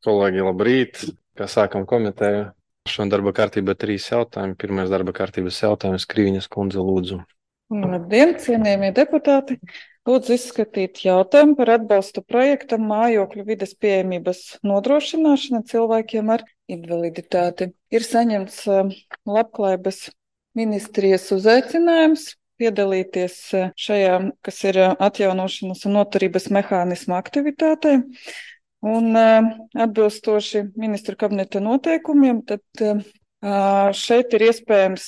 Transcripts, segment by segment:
Kolēģi, labrīt! Kā sākam komiteju? Šodien darba kārtībā 3 jautājumi. Pirmais darba kārtības jautājums - Krīņas kundze, lūdzu. Labdien, cienījamie deputāti! Lūdzu izskatīt jautājumu par atbalstu projektam mājokļu vides pieejamības nodrošināšana cilvēkiem ar invaliditāti. Ir saņemts Labklājības ministrijas uzaicinājums piedalīties šajā, kas ir atjaunošanas un noturības mehānisma aktivitātē. Un atbilstoši ministru kabineta noteikumiem, tad šeit ir iespējams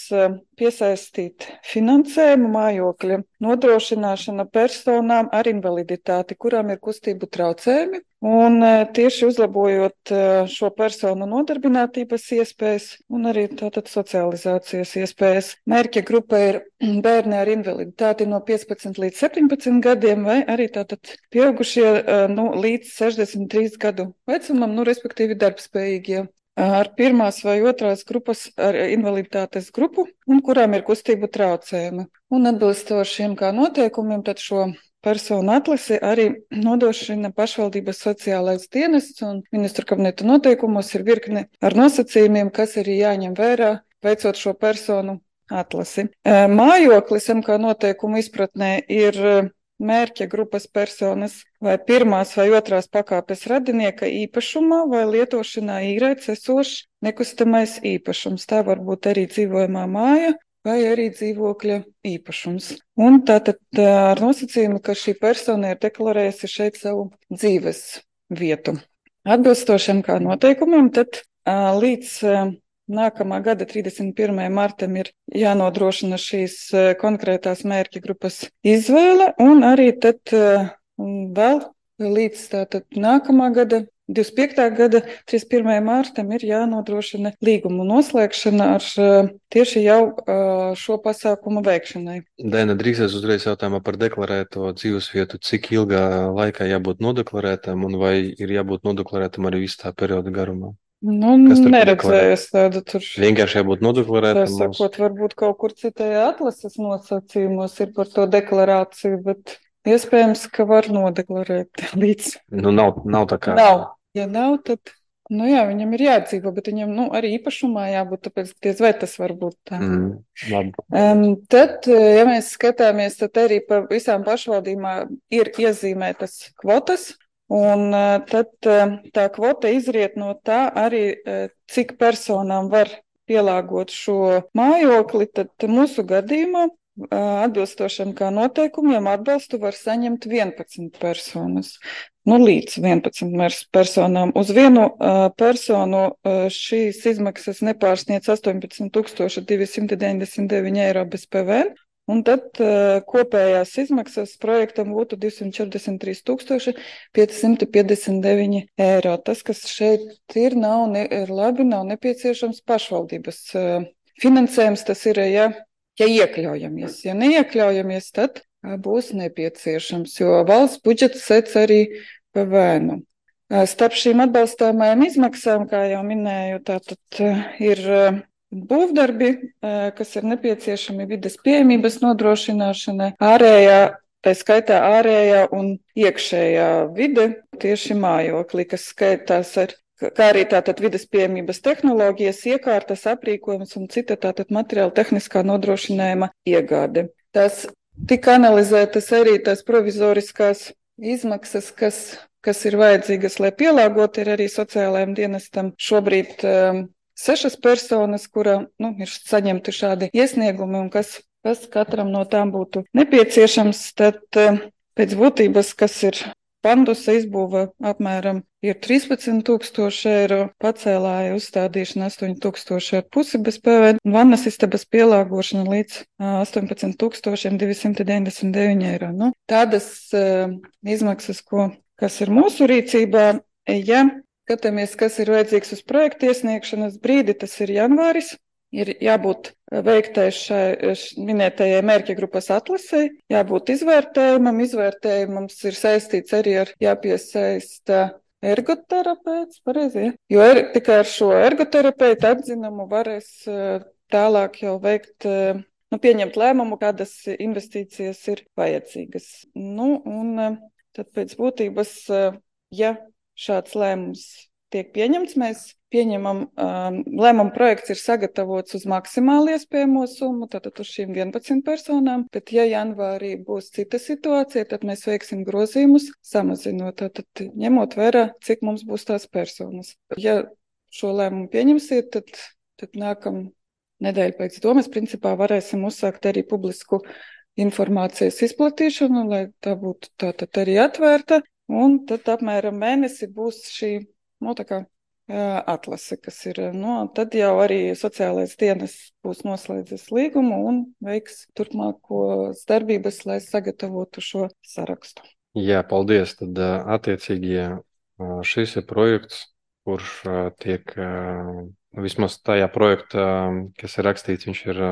piesaistīt finansējumu mājokļa nodrošināšana personām ar invaliditāti, kurām ir kustību traucējumi. Un tieši uzlabojot šo personu nodarbinātības iespējas un arī tātad socializācijas iespējas. Mērķa grupa ir bērni ar invaliditāti no 15 līdz 17 gadiem vai arī tātad pieaugušie līdz 63 gadu vecumam, respektīvi darbspējīgie ar pirmās vai otrās grupas ar invaliditātes grupu un kurām ir kustību traucējumi. Un atbilstoši šiem kā noteikumiem, tad šo personu atlasi arī nodrošina pašvaldības sociālais dienests, un ministru kabineta noteikumos ir virkne ar nosacījumiem, kas arī jāņem vērā, veicot šo personu atlasi. Mājoklis MK noteikumu izpratnē ir mērķa grupas personas vai pirmās vai otrās pakāpes radinieka īpašumā vai lietošanā īrēts esošs nekustamais īpašums. Tā var būt arī dzīvojamā māja vai arī dzīvokļa īpašums. Un tātad ar nosacījumu, ka šī persona ir deklarējusi šeit savu dzīves vietu. Atbilstošiem kā noteikumiem, tad līdz nākamā gada 31. martam ir jānodrošina šīs konkrētās mērķa grupas izvēle, un arī tad vēl līdz tātad nākamā gada 25. gada 31. martam ir jānodrošina līgumu noslēgšana ar tieši jau šo pasākumu veikšanai. Dēna, drīkstēs uzreiz jautājumā par deklarēto dzīvesvietu. Cik ilgā laikā jābūt nodeklarētam un vai ir jābūt nodeklarētam arī visu tā perioda garumā? Neredzēju es tādu tur. Vienkārši jābūt nodeklarētam. Tā sakot, varbūt kaut kur citajā atlases nosacījumos ir par to deklarāciju, bet iespējams, ka var nodeklarēt līdz. Nav tā kā. Nav. Ja nav, tad, viņam ir jādzīvo, bet viņam, arī īpašumā jābūt, tāpēc diez vai tas var būt tā. Labi. Tad, ja mēs skatāmies, tad arī pa visām pašvaldībām ir iezīmētas kvotas. Un tad tā kvota izriet no tā arī, cik personām var pielāgot šo mājokli, tad mūsu gadījumā atbilstošiem kā noteikumiem atbalstu var saņemt 11 personas. Līdz 11 personām. Uz vienu personu šīs izmaksas nepārsniedz 18,299 eiro bez PVN. Un tad kopējās izmaksas projektam būtu 243,559 eiro. Tas, kas šeit ir labi, nav nepieciešams pašvaldības finansējums. Tas ir, ja iekļaujamies. Ja neiekļaujamies, tad būs nepieciešams, jo valsts budžets sec arī PVN. Starp šīm atbalstāmajām izmaksām, kā jau minēju, tātad ir būvdarbi, kas ir nepieciešami vides pieejamības nodrošināšanai, tā skaitā ārējā un iekšējā vide, tieši mājoklī, kas skaitās kā arī tātad vides pieejamības tehnoloģijas, iekārtas, aprīkojums un cita tātad materiāla tehniskā nodrošinājuma iegāde. Tas tika analizētas arī tās provizoriskās izmaksas, kas ir vajadzīgas, lai pielāgot ir arī sociālajiem dienestam šobrīd 6 personas, kura ir saņemti šādi iesniegumi un kas katram no tām būtu nepieciešams, tad pēc būtības, kas ir pandusa izbūve apmēram ir 13,000 eiro, pacēlāja uzstādīšana 8,500 bez PVN, un vannas istabas pielāgošana līdz 18,299 eiro. Tādas izmaksas, kas ir mūsu rīcībā, ja skatāmies, kas ir vajadzīgs uz projekta iesniegšanas brīdi, tas ir janvāris. Ir jābūt veiktai šai minētajai mērķa grupas atlasei, jābūt izvērtējumam. Izvērtējumams ir saistīts arī ar jāpiesaista ergoterapeits, pareizi, ja? Jo tikai ar šo ergoterapeitu atzinumu varēs tālāk jau veikt, pieņemt lēmumu, kādas investīcijas ir vajadzīgas. Un tad pēc būtības, ja šāds lēmums tiek pieņemts, mēs pieņemam, lēmuma projekts ir sagatavots uz maksimāli iespējamo summu, tātad uz šīm 11 personām, bet ja janvārī būs cita situācija, tad mēs veiksim grozījumus samazinot, tātad ņemot vērā, cik mums būs tās personas. Ja šo lēmumu pieņemsiet, tad nākam nedēļu pēc to mēs principā varēsim uzsākt arī publisku informācijas izplatīšanu, lai tā būtu tātad arī atvērta, un tad apmēram mēnesi būs šī, tā kā atlase, kas ir, tad jau arī sociālais dienas būs noslēdzis līgumu un veiks turpmākos darbības, lai sagatavotu šo sarakstu. Jā, paldies. Tad attiecīgi šis ir projekts, kurš tiek vismaz tajā projektā, kas ir rakstīts, viņš ir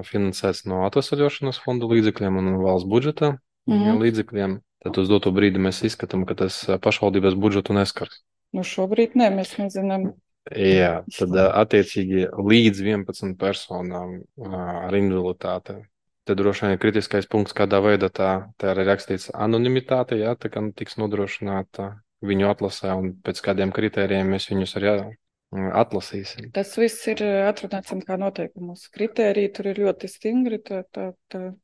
finansēts no atvesaļošanas fonda līdzekļiem un valsts budžeta līdzekļiem. Tad uz doto brīdi mēs izskatām, ka tas pašvaldības budžetu neskars. Šobrīd nē, mēs nezinām. Jā, tad attiecīgi līdz 11 personām ar invaliditāti. Te droši vien ir kritiskais punkts, kādā veidā tā ir rakstīts anonimitāte, jā, tā kā tiks nodrošināta viņu atlasē un pēc kādiem kritērijiem mēs viņus arī atlasīsim. Tas viss ir atrunāts kā noteikumos. Kritēriji tur ir ļoti stingri, tā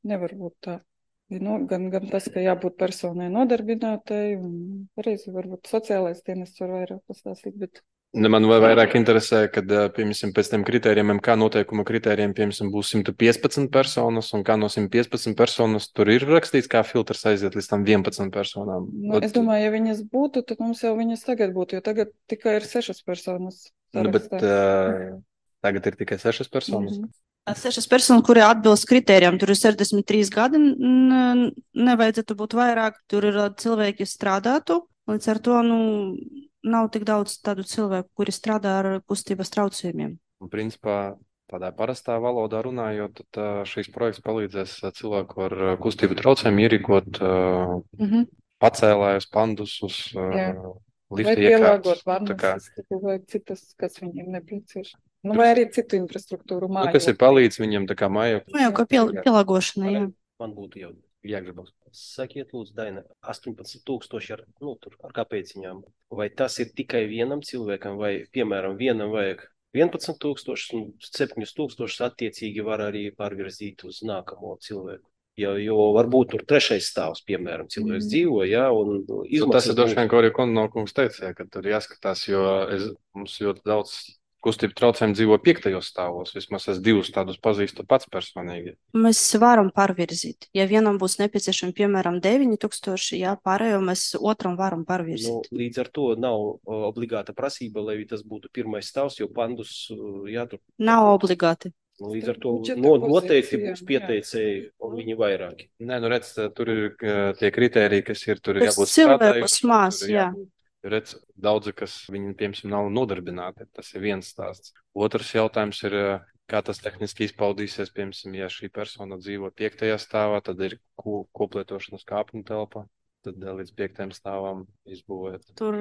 nevar būt tā. Gan tas, ka jābūt personai nodarbinātai, un pareizi varbūt sociālais dienests var vairāk pastāstīt, bet... Man vairāk interesē, kad, piemēram, pēc tiem kritērijiem, kā noteikuma kritērijiem, piemēram, būs 115 personas, un kā no 115 personas tur ir rakstīts, kā filtrs aiziet līdz tam 11 personām. Es domāju, ja viņas būtu, tad mums jau viņas tagad būtu, jo tagad tikai ir 6 personas. Bet tagad ir tikai 6 personas. 6 personas, kuri atbilst kritērijām, tur ir 63 gadi, nevajadzētu būt vairāk, tur ir cilvēki, kas strādātu, līdz ar to, nav tik daudz tādu cilvēku, kuri strādā ar kustības traucējumiem. Principā, tādā parastā valodā runājot, tad šīs projekts palīdzēs cilvēku ar kustību traucējumu ierīkot pacēlājus, pandusus, lifta pielāgot varnas, vai citas, kas viņiem nepieciešams. Vai arī citu infrastruktūru māju. Kas ir palīdz viņam tā kā māju? Kā pielāgošana, jā. Man būtu jau jāgribas. Sakiet, lūdzu, Daina, 18,000 ar kāpēciņām. Vai tas ir tikai vienam cilvēkam, vai, piemēram, vienam vajag 11,000 un 7,000 attiecīgi var arī pārvirzīt uz nākamo cilvēku? Jo varbūt tur trešais stāvs, piemēram, cilvēks dzīvo, jā, un tas ir droši vien, ko arī Kononkungs teica, ka tur jāskatās, jo mums ļoti daudz kustību traucējumi dzīvo 5. stāvos. Vismaz es 2 tādus pazīstu pats personīgi. Mēs varam pārvirzīt. Ja vienam būs nepieciešami, piemēram, 9,000, jā, pārējo mēs otram varam pārvirzīt. Līdz ar to nav obligāta prasība, lai tas būtu 1. stāvs, jo pandus jātur. Nav obligāti. Līdz ar to noteikti būs pieteicēji un viņi vairāki. Nē, redz, tur ir tie kritēriji, kas ir, tur ir jābūt cilvēkus mās, jā. Redz, daudzi, kas viņi, piemēram, nav nodarbināti. Tas ir viens stāsts. Otrs jautājums ir, kā tas tehniski izpaudīsies, piemēram, ja šī persona dzīvo 5. stāvā, tad ir koplietošanas kāpņu telpa, tad līdz 5. stāvam izbūvēt. Tur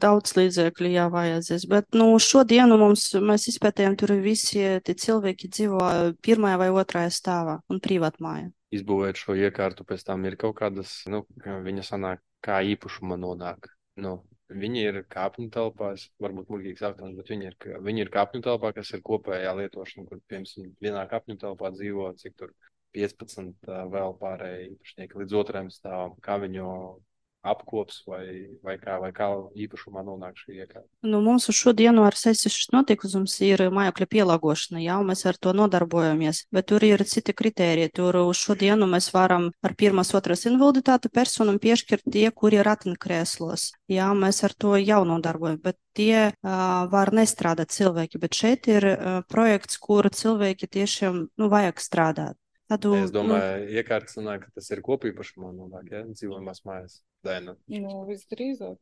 daudz līdzekļu jāvajadzēs, bet šodienu mēs izpētējam, tur visi tie cilvēki dzīvo 1. vai 2. stāvā un privātmāja. Izbūvēt šo iekārtu, pēc tam ir kaut kādas, viņa sanāk, kā īpašuma nonāk. Viņi ir kāpņu telpās, varbūt muļķīgs jautājums, bet viņi ir kāpņu telpā, kas ir kopējā lietošana, kur, piemēram, vienā kāpņu telpā dzīvo, cik tur 15 vēl pārējie īpašnieki līdz 2. stāvam, kā viņu apkops vai kā īpašumā nonāk šī iekārta. Mums uz šodienu ar sesijas notikums ir mājokļa pielāgošana, jā, un mēs ar to nodarbojamies, bet tur ir citi kritēriji. Tur uz šodienu mēs varam ar 1. 2. invaliditāti personam piešķirt tie, kuri ir ratiņkrēslos. Jā, mēs ar to jau nodarbojamies, bet tie var nestrādāt cilvēki, bet šeit ir projekts, kur cilvēki tiešām vajag strādāt. Es domāju, iekārtas sanāk, ka tas ir kopīpašumā nonāk, ja? Dzīvojamās mājas. Daina. Visdrīzāk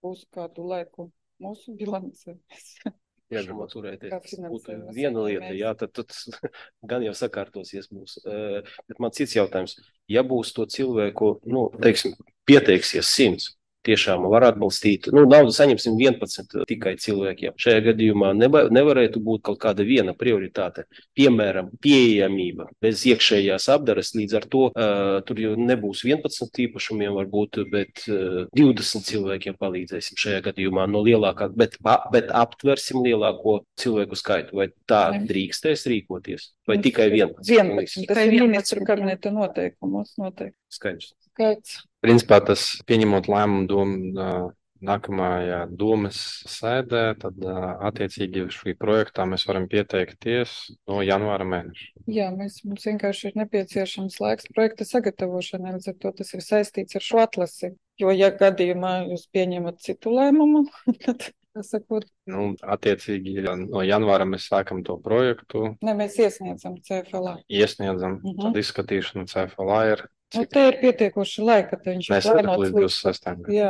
būs kādu laiku mūsu bilancē. Jāgribot turēties. Būtu viena lieta, jā, tad gan jau sakārtosies mūs. Bet man cits jautājums. Ja būs to cilvēku, teiksim, pieteiksies 100, tiešām var atbalstīt. Naudu saņemsim 11 tikai cilvēkiem. Šajā gadījumā nevarētu būt kaut kāda viena prioritāte. Piemēram, pieejamība bez iekšējās apdares, līdz ar to tur jau nebūs 11 īpašumiem varbūt, bet 20 cilvēkiem palīdzēsim šajā gadījumā no lielākā, bet aptversim lielāko cilvēku skaitu. Vai tā drīkstēs rīkoties? Vai tikai 11? 11. Tas ir ministru kabineta noteikumos noteikti. Skaidrs. Principā tas pieņemot lēmumu domu nākamajā domas sēdē, tad attiecīgi šī projektā mēs varam pieteikties no janvāra mēneša. Jā, mums vienkārši ir nepieciešams laiks projekta sagatavošanai, līdz ar to tas ir saistīts ar šo atlasi. Jo, ja gadījumā jūs pieņemat citu lēmumu, tad, sakot, attiecīgi no janvāra mēs sākam to projektu. Ne, mēs iesniedzam CFLA. Tad izskatīšana CFLA ir. Te ir pietiekoši laika, tad viņš Mēs plānots līdz 26. Jā.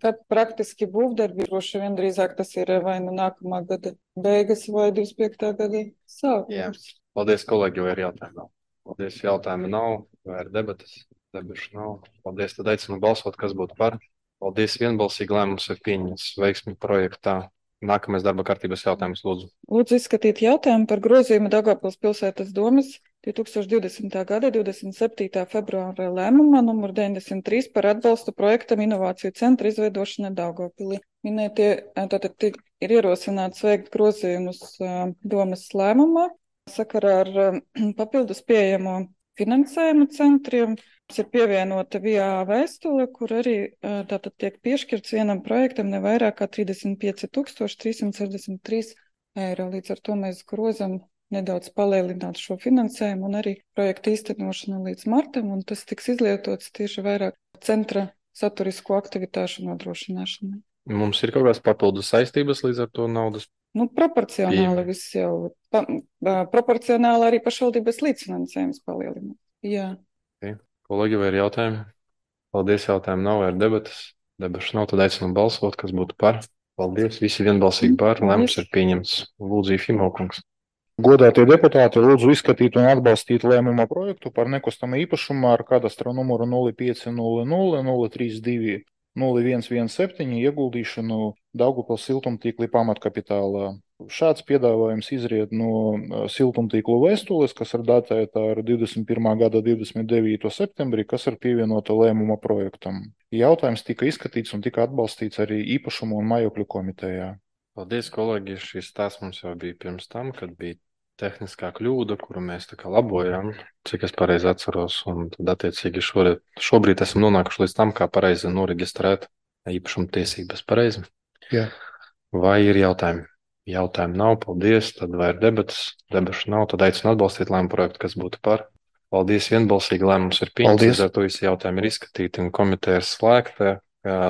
Kad praktiski būvdarbi droši vien drīzāk tas ir vai nākamā gada beigas vai 25. gada sākums. Paldies, kolēģi, vai ir jautājumi? Paldies, jautājumi nav, vai ir debatas? Debašu nav. Paldies, tad aicinu balsot, kas būtu par. Paldies, vienbalsīgi lēmums ir pieņemts veiksmi projektā. Nākamais darba kārtības jautājums, lūdzu. Lūdzu izskatīt jautājumu par grozījumu Daugavpils pilsētas domas 2020. gada 27. februāra lēmumā numur 93 par atbalstu projektam Inovāciju centra izveidošana Daugavpilī. Minētie, tātad ir ierosināts veikt grozījumus domas lēmumā sakarā ar papildus pieejamo finansējumu centriem. Ir pievienota VIA vēstule, kur arī tātad tiek piešķirts vienam projektam ne vairāk kā 35 363 eiro. Līdz ar to mēs grozam nedaudz palielināt šo finansējumu un arī projektu īstenošanu līdz martam, un tas tiks izlietots tieši vairāk centra saturisko aktivitāšu nodrošināšanai. Mums ir kaut kādas papildus saistības līdz ar to naudas? Proporcionāli viss jau. Proporcionāli arī pašvaldības līdzfinansējums palielināt. Jā. Kolēģi, vai ir jautājumi? Paldies, jautājumi nav, vai ir debatas? Debašu nav, tad aicinu balsot, kas būtu par. Paldies, visi vienbalsīgi par. Lēmums ir pieņemts. Lūdzu, Ifimaukungs. Godātie deputāti, lūdzu izskatīt un atbalstīt lēmuma projektu par nekustamo īpašumu ar kadastra numuru 0500 032 0117 ieguldīšanu Daugavpils siltumtīkla pamatkapitālā. Šāds piedāvājums izriet no siltumtīklu vēstules, kas ir datēta ar 21. gada 29. septembrī, kas ir pievienota lēmuma projektam. Jautājums tika izskatīts un tika atbalstīts arī īpašumu un mājokļu komitejā. Paldies, kolēģi. Šis stāsts mums jau bija pirms tam, kad bija tehniskā kļūda, kuru mēs tā kā labojām, cik es pareizi atceros, un tad attiecīgi šobrīd esam nonākuši līdz tam, kā pareizi noreģistrēt īpašuma tiesības. Pareizi? Jā. Vai ir jautājumi? Jautājumu nav, paldies, tad vai ir debatas? Debašu nav, tad aicinu atbalstīt lēmumu projektu, kas būtu par. Paldies, vienbalsīgi lēmums ir pieņemts, ar to visi jautājumi ir izskatīti un komiteja ir slēgta.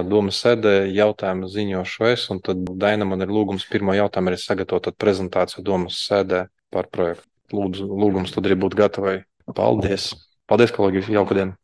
Domas sēdē jautājumu ziņošu es, un tad Daina man ir lūgums pirmo jautājumu arī sagatavot prezentāciju domas sēdē par projektu. Lūgums tad arī būt gatavai. Paldies. Paldies, kolēģi, jauku dienu.